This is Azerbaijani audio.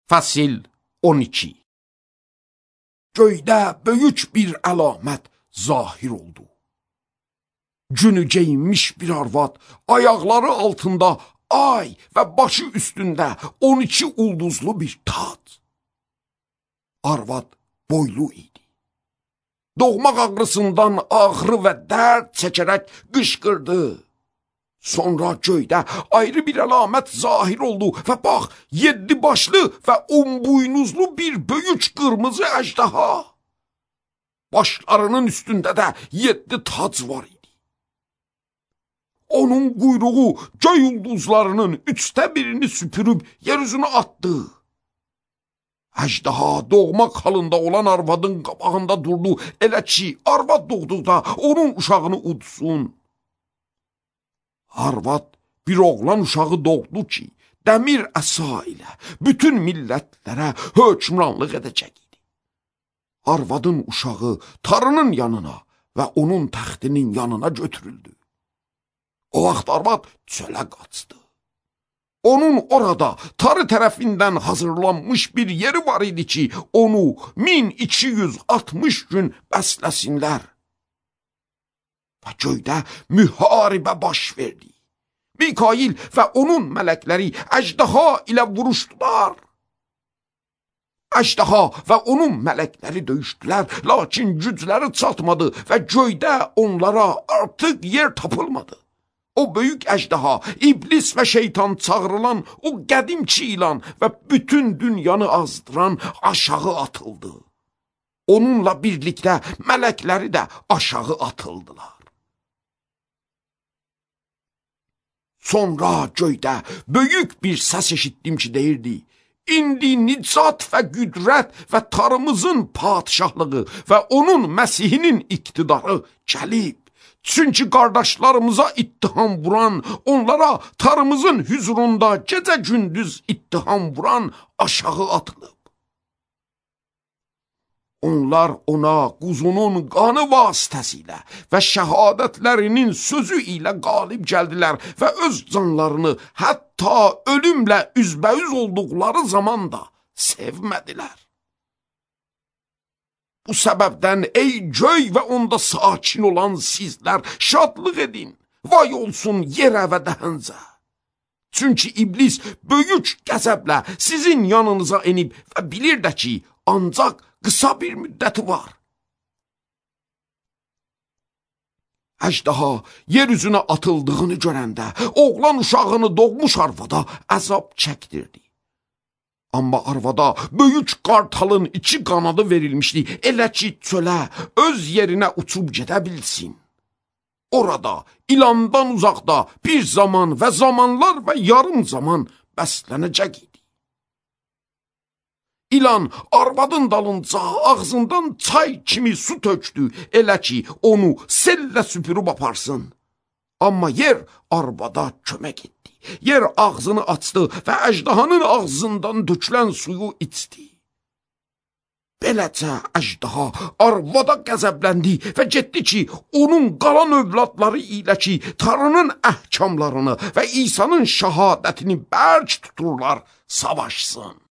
Fəsil 12. Göydə böyük bir əlamət zahir oldu. Günü geyinmiş bir arvad, ayaqları altında ay və başı üstündə 12 ulduzlu bir tac. Arvad boylu idi. Doğmaq ağrısından ağrı və dərd çəkərək qışqırdı. Sonra göydə ayrı bir əlamət zahir oldu və bax, 7 başlı və 10 buynuzlu bir böyük qırmızı əjdaha. Başlarının üstündə də 7 tac var idi. Onun quyruğu göy ulduzlarının 3də birini süpürüb yer üzünə atdı. Əjdaha doğmaq halında olan arvadın qabağında durdu, elə ki, arvad doğduqda onun uşağını udsun. Arvad bir oğlan uşağı doğdu ki, dəmir əsa ilə bütün millətlərə hökmranlıq edəcək idi. Arvadın uşağı tarının yanına və onun təxtinin yanına götürüldü. O vaxt arvad çölə qaçdı. Onun orada tarı tərəfindən hazırlanmış bir yeri var idi ki, onu 1260 gün bəsləsinlər. Və göydə müharibə baş verdi. Mikail və onun mələkləri əjdaha ilə vuruşdular. Əjdaha və onun mələkləri döyüşdülər, lakin gücləri çatmadı və göydə onlara artıq yer tapılmadı. O böyük əjdaha, iblis və şeytan çağrılan o qədimçi ilan və bütün dünyanı azdıran aşağı atıldı. Onunla birlikdə mələkləri də aşağı atıldılar. Sonra göydə böyük bir səs eşitdim ki, deyirdi: İndi nicat və qüdrət və tarımızın padişahlığı və onun Məsihinin iqtidarı gəlib. Çünki qardaşlarımıza ittiham vuran, onlara tarımızın hüzurunda gecə-gündüz ittiham vuran aşağı atılıb. Onlar ona quzunun qanı vasitəsilə və şəhadətlərinin sözü ilə qalib gəldilər və öz canlarını hətta ölümlə üzbəüz olduqları zaman da sevmədilər. Bu səbəbdən ey göy və onda sakin olan sizlər şadlıq edin, vay olsun yerə və dəhənzə. Çünki iblis böyük qəzəblə sizin yanınıza enib və bilir də ki, ancaq qısa bir müddəti var. Əjdaha yer üzünə atıldığını görəndə oğlan uşağını doğmuş arvada əzab çəkdirdi. Amma arvada böyük qartalın 2 qanadı verilmişdi, elə ki çölə öz yerinə uçub gedə bilsin. Orada ilandan uzaqda bir zaman və zamanlar və yarım zaman bəslənəcək idi. İlan arvadın dalınca ağzından çay kimi su tökdü, elə ki onu sellə süpürüb aparsın. Amma yer arvada kömək etdi. Yer ağzını açdı və əjdahanın ağzından dökülən suyu içdi. Beləcə əjdaha arvada qəzəbləndi və getdi ki, onun qalan övladları ilə ki, tarının əhkamlarını və İsa'nın şəhadətini bərk tuturlar, savaşsın.